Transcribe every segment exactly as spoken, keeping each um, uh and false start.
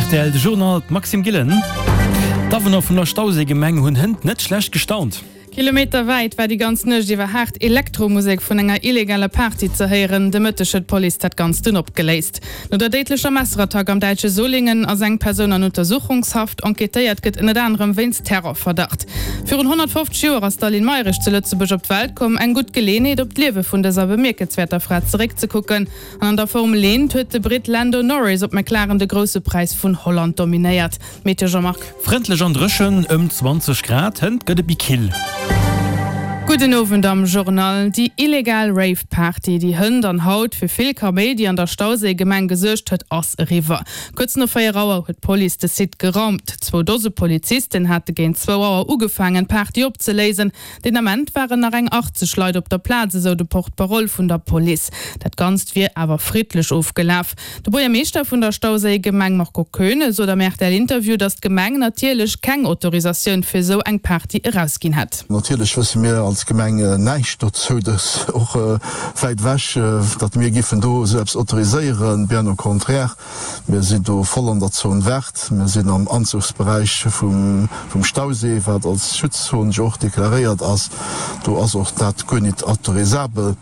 Rtl, de Journal, d'Maxime Gillen. D'Awunner vun der Stauséigemeng hunn hënt net schlecht gestaunt. Kilometer wäit war déi ganz Nuecht iwwer haart Elektromusek vun enger illegaler Party ze héieren. De Mëtteg huet d'Police dat Ganzt dunn opgeléist. No der déidlecher Messerattack am däitsche Solingen ass eng Persoun an Untersuchungshaft. Enquêtéiert gëtt ënnert anerem wéinst Terrorverdacht. Virun honnertfofzeg Joer ass d'Aline Mayrisch zu Lëtzebuerg op d'Welt komm. Eng gutt Geleeënheet, op d'Liewe vun dëser bemierkenswäerter Fra zeréckzekucken. An an der Formel eent huet de Britt Lando Norris op McLaren de Grousse Präis vun Holland dominéiert. Meteo Jean-Marc. Frëndlech an dréchen, ëm zwanzeg Grad, hënt gëtt et méi kill. Gudden Owend am Journal. Déi illegal Rave Party, déi hënt an haut fir vill Kaméidi an der Stauséigemeng gesuergt huet, ass eriwwer. Kuerz no véier Auer huet d'Police de Site geraumt. Zwou Dose Polizisten hate géint zwou Auer ugefaangen, d'Party opzeléisen. Deen Ament waren nach eng achtzeg Leit op der Plaz, esou de Porte-parole vun der Police. Dat Ganzt wier awer friddlech ofgelaf. De Buergermeeschter vun der Stauséigemeng Marco Koeune sot am R T L-Interview, datt d'Gemeng natierlech keng Autorisatioun fir esou eng Party erausginn hätt. Natierlech wësse mir als Gemeng näischt dozou, dass och wäit ewech, datt mir giffen do esou eppes autoriséieren. Bien au contraire, mir sinn do voll an der Zone verte, mir sinn am Anzuchsberäich vum Stausee, wat als Schutzzon jo och deklaréiert ass. Do ass och dat guer nit autorisabel.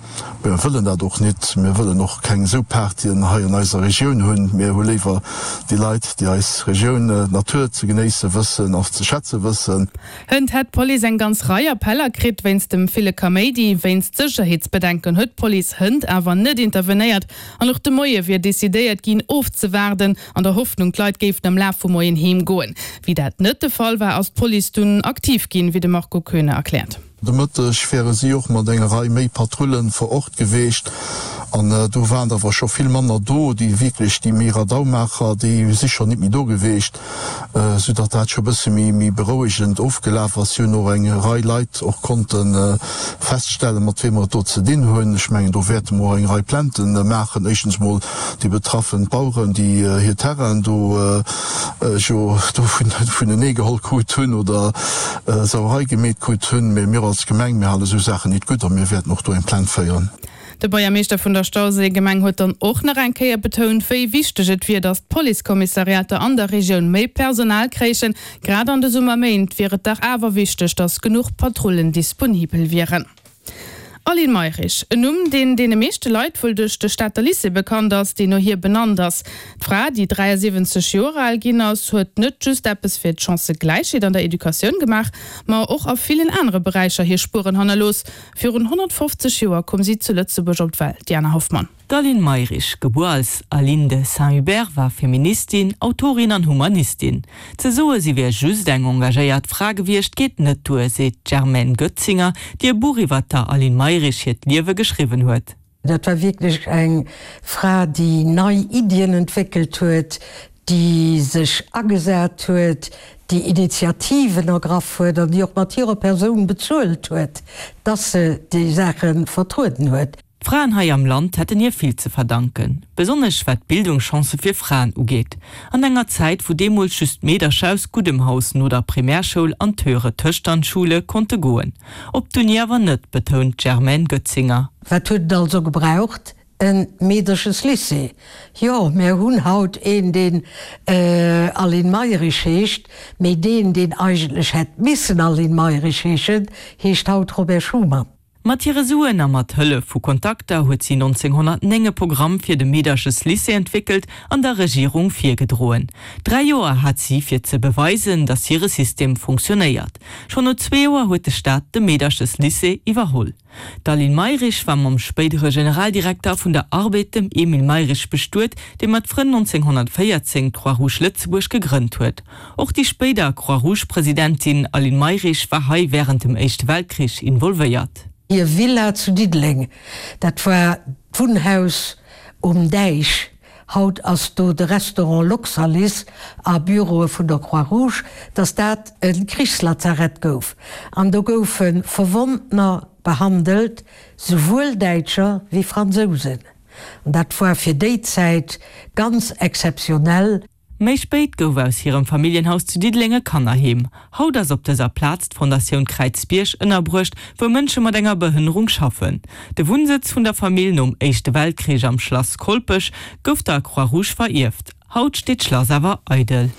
Mir wëllen dat och nit. Mir wëllen och keng esou Partyen hei an eiser Regioun hunn. Mir hu léiwer déi Leit, déi eis Regioun, d'Natur ze genéisse wëssen a ze schätze wëssen. Hënt hätt d'Police eng ganz Rei Appeller kritt wéinst dem ville Kaméidi. Wéinst Sécherheetsbedenken huet d'Police hënt awer net intervenéiert an och de Moie wier decidéiert ginn ofzewaarden, an der Hoffnung d'Leit géifen am Laf vum Moien heem goen. Wéi dat net de Fall war, ass d'Police dunn aktiv ginn, wéi de Marco Koeune erkläert. De Mëtteg wäre si och mat enger Rei méi Patrullen vor Ort geweecht an do waren awer scho vill manner do, déi wierklech déi méi Radaumaacher, déi si scho nit méi do geweecht, sou datt dat scho bësse méi méi berouegend ofgelaf ass. Si hunn och eng Rei Leit och konnte feststellen, mat weem mer et do ze dinn hunn. Ech mengen, do wäerte mer och eng Rei Plaintë maachen, éischtens mol déi betraffen Baueren, déi hir Terrainen do jo do vunenee geholl krut hunn oder Sauerei gemeet krut hunn, mee mir als Gemeng, mir hale sou Saachen nit gutt a mir wäerten och do eng Plainte féieren. De Buergermeeschter vun der Stauséigemeng huet dann och nach eng Kéier betount, wéi wichteg et wier, datt d'Policekommissariater an der Regioun méi Personal kréichen. Grad an de Summerméint wier et dach awer wichteg, datt genuch Patrullen disponibel wieren. Aline Mayrisch, en Numm, deen deene meeschte Leit wuel duerch de Stater Lycée bekannt ass, deen no hir benannt ass. D'Fra, déi dräiasiwwenzeg Joer al ginn ass, huet net just eppes fir d'Chancëgläichheet an der Educatioun gemaach, ma och a villen anere Beräicher hir Spueren hannerlooss. Virun honnertfofzeg Joer koum si zu Lëtzebuerg op d'Welt, Diana Hoffmann. D'Aline Mayrisch, gebuer als Aline de Saint-Hubert, war Feministin, Autorin an Humanistin. Ze soe si wier just eng engagéiert Fra gewiescht, geet net duer, seet d'Germaine Goetzinger, déi e Buch iwwer der Aline Mayrisch hiert Liewe geschriwwen huet. Dat war wierklech eng Fra, déi nei Iddien entwéckelt huet, déi sech agesat huet, déi Initiativen ergraff huet an déi och mat hirer Persoun bezuelt huet, dass se déi Saache vertrueden huet. D'Fraen hei am Land hätten hir vill ze verdanken, besonnesch wat d'Bildungschancë fir Fraen ugeet. An enger Zäit, wou deemools just Meedercher aus guddem Haus no der Primärschoul an d'Höhere Töchternschule konnte goen. Op d'Uni awer net, betount d'Germaine Goetzinger. Wat huet et also gebraucht? E Meedercheslycée. Jo, mir hunn haut een, deen Aline Mayrisch heescht, mee deen, deen eigentlech hätt missen Aline Mayrisch heeschen, heescht haut Robert Schuman. Mat hire Suen a mat Hëllef vu Kontakter huet si nonzénghonnertnéng e Programm fir de Meedercheslycée entwéckelt an der Regierung virgedroen. Dräi Joer hat si fir ze beweisen, datt hire System funktionéiert. Schonn no zwee Joer huet de Staat de Meedercheslycée iwwerholl. D'Aline Mayrisch war mam spéidere Generaldirekter vun der Arbed, dem Emile Mayrisch, bestuet, dee mat Frënn nonzénghonnertvéierzéng d'Croix-Rouge Lëtzebuerg gegrënnt huet. Och déi spéider Croix-Rouge-Presidentin Aline Mayrisch war hei wärend dem Éischte Weltkrich involvéiert. Hir Villa zu Diddeleng, dat war d'Wunnhaus um Däich, haut ass do de Restaurant Luxalis a Büroe vun der Croix-Rouge, dass dat e Krichslazarett gouf. An do goufe Verwonnener behandelt, souwuel Däitscher wéi Fransousen. An dat war fir déi Zäit ganz exzeptionell. Méi spéit gouf aus hirem Familljenhaus zu Diddeleng e Kannerheem. Haut ass op dëser Plaz d'Fondatioun Kräizbierg ënnerbruecht, wou Mënsche mat enger Behënnerung schaffen. De Wunnsëtz vun der Famill nom Éischte Weltkrich am Schlass Kolpech gouf der Croix-Rouge verierft. Haut steet d'Schlass awer eidel.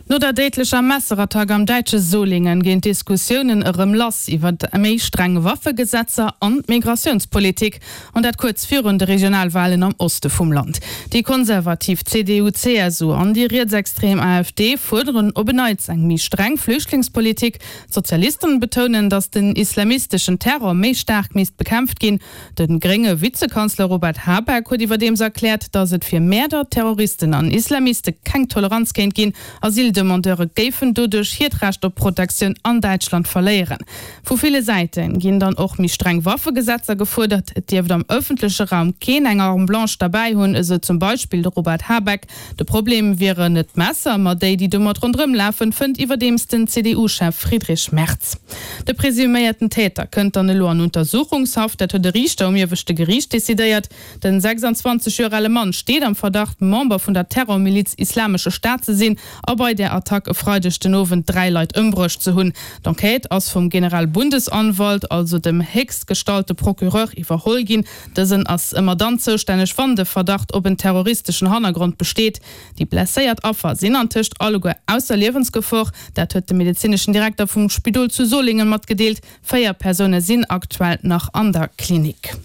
No der déidlecher Messerattack am däitsche Solingen ginn d'Diskussiounen erëm lass iwwer méi streng Waffegesetzer an d'Migratiounspolitik, an dat kuerz virun de Regionalwalen am Oste vum Land. Déi konservativ C D U C S U an déi rietsextrem A F D fuerderen op en Neits eng méi streng Flüchtlingspolitik. D'Sozialisten betounen, datt den islamisteschen Terror méi staark misst bekämpft ginn. De grénge Vizekanzler Robert Habeck huet iwwerdeems erkläert, datt et fir Mäerder, Terroristen an Islamiste keng Toleranz kéint ginn. Asyldemandeure géifen doduerch hiert Recht op Protektioun an Däitschland verléieren. Vu ville Säite ginn dann och méi streng Waffegesetzer gefuerdert. Et dierft am ëffentleche Raum keen eng Arme blanche derbäi hunn, esou zum Beispill de Robert Habeck. De Problem wieren net d'Messer, ma déi, déi domat ronderëm lafen, fënnt iwwerdeems den C D U-Chef Friedrich Merz. De presuméierten Täter kënnt dann elo an Untersuchungshaft, dat huet de Riichter um ieweschte Geriicht decidéiert. Den sechsundzwanzeg Joer ale Mann steet am Verdacht, Member vun der Terrormiliz Islamesche Staat ze sinn a bei der Attack e Freideg den Owend dräi Leit ëmbruecht ze hunn. D'Enquête ass vum Generalbundesanwalt, also dem héchstgestallte Procureur, iwwerholl ginn. Dësen ass ëmmer dann zoustänneg, wann de Verdacht op en terroristeschen Hannergrond besteet. Déi blesséiert Affer sinn antëscht alleguer ausser Liewensgefor. Dat huet de medezineschen Direkter vum Spidol zu Solingen matgedeelt. Véier Persoune sinn aktuell nach an der Klinik.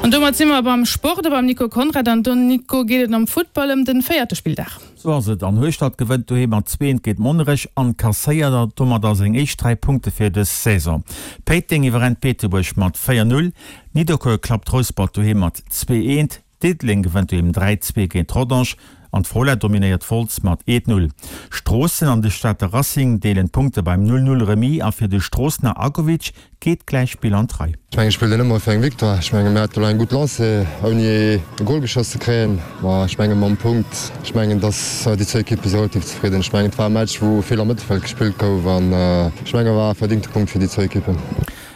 An domat si mer beim Sport, beim Nico Konrad. An do, Nico, geet et am Futtball ëm den véierte Spilldag. Sou ass et. An Hueschtert gewënnt doheem mat zwee géint Monnerech an kasséiert domat seng éischt dräi Punkte fir dës Saison. Péiteng iwwerrennt Beetebuerg mat véier null. Nidderkuer klappt Rouspert doheem mat zwee eent. Diddeleng gewënnt doheem dräi zwee géint Rodange an d'Fola dominéiert Wolz mat eent null. Stroossen an de Stater Racing deelen d'Punkte beim null null Remis a fir de Stroossener Agovic geet d'Gläichspill an d'Rei. Ech menge ech spillen ëmmer fir eng Victoire. Ech menge mir haten elo eng gutt Lancée ouni e Goal geschoss ze kréien. Ma ech menge mam Punkt, ech mengen, dass déi zwou Ekippe si relativ zefridden. Ech mengen, et war e Match, wou vill am Mëttelfeld gespillt gouf an ech menge war e verdingte Punkt fir déi zwou Ekippen.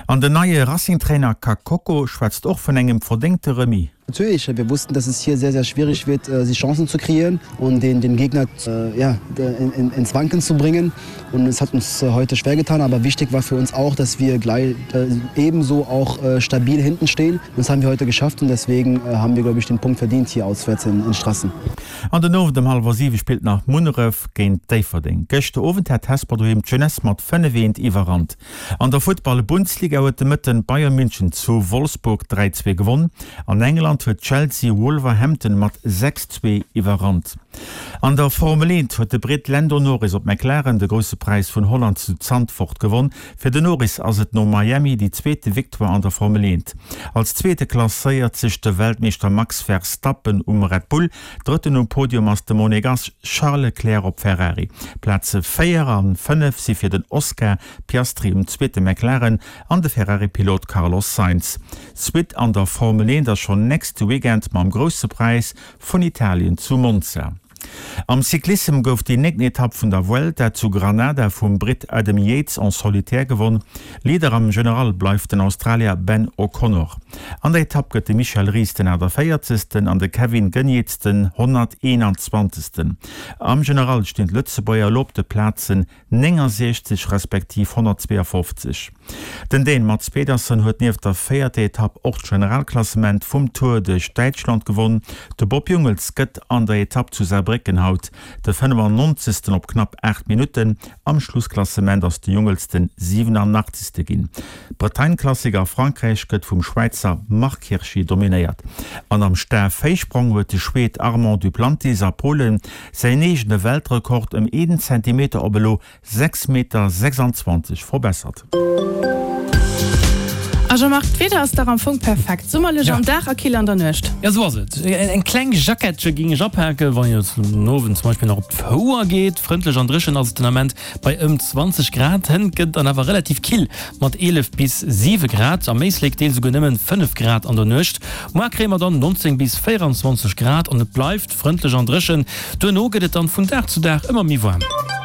An den neie Racing-Trainer Kakoko schwätzt och vun engem verdéngte Remis. Natürlich, wir wussten, dass es hier sehr, sehr schwierig wird, sich Chancen zu kreieren und den, den Gegner, äh, ja, in, in, ins Wanken zu bringen. Und es hat uns heute schwer getan, aber wichtig war für uns auch, dass wir gleich, äh, ebenso auch, äh, stabil hinten stehen. Und das haben wir heute geschafft und deswegen, äh, haben wir, glaube ich, den Punkt verdient hier auswärts in, in Strassen. An den Owend um hallwer siwe spillt nach Munneref géint Déifferdeng. Gëschter Owend hat Hesper doheem d'Jeunesse mat fënnef eent iwwerrannt. An der Futtball-Bundesliga huet de Mëtten Bayern München zu Wolfsburg dräi zwee gewonn. An England huet Chelsea Wolverhampton mat sechs zwee iwwerrannt. An der Formel eent huet de Brit Lando Norris op McLaren de grousse Präis vun Holland zu Zandvoort gewonn. Fir den Norris ass et no Miami déi zweete Victoire an der Formel eent. Als zweete klasséiert sech de Weltmeeschter Max Verstappen um Red Bull. Drëtten um Podium ass de Monegass Charles Leclerc op Ferrari. Plaze véier an fënnef si fir den Oscar Piastri um zweete McLaren an de Ferrari-Pilot Carlos Sainz. Suite an der Formel eent ass schonn nächste Weekend mam grousse Präis vun Italien zu Monza. Am Cyclissem gouf déi néngten Etapp vun der Vuelta zu Granada vum Brit Adam Yates en solitaire gewonn. Leader am General bleift den Australier Ben O'Connor. An der Etapp gëtt de Michel Ries den achtundvéierzegsten an de Kevin Geniets den honnerteenundzwanzegsten. Am General stinn d'Lëtzebuerger elo op de Plazen neunundsechzeg respektiv honnertzweeundfofzeg. Den Dän Mads Pedersen huet nieft der véierter Etapp och d'Generalklassement vum Tour duerch Däitschland gewonn. De Bob Jungels gëtt an der Etapp zu Saarbrécken haut de fënnefundneunzegsten op knapp aacht Minutten. Am Schlussklassement ass de Jungels den siebenundachtzigste ginn. Bretagne-Klassiker a Frankräich gëtt vum Schweizer Marc Hirschi dominéiert. An am Stafhéichsprong huet de Schwed Armand Duplantis a Polen säin eegene Weltrekord ëm een Zentimeter op elo sechs Meter sechsundzwanzeg verbessert. A Jean-Marc, d'Wieder ass dach am Fong perfekt. Summerlech Ja. am Dag a kill an der Nuecht. Ja, sou ass et. Eng kleng Jackettche géing ech apaken, wann et den Owend zum Beispill nach op d'Fouer geet. Frëndlech an dréchen ass et den Ament bei ëm zwanzeg Grad. Hënt gëtt dann awer relativ kill mat eelef bis siwe Grad. Am Éislek deels esouguer nëmmen fënnef Grad an der Nuecht. Muer kréie mer dann neunzéng bis véierundzwanzeg Grad an et bleift frëndlech an dréchen. Duerno gëtt et dann vun Dag zu Dag ëmmer méi waarm.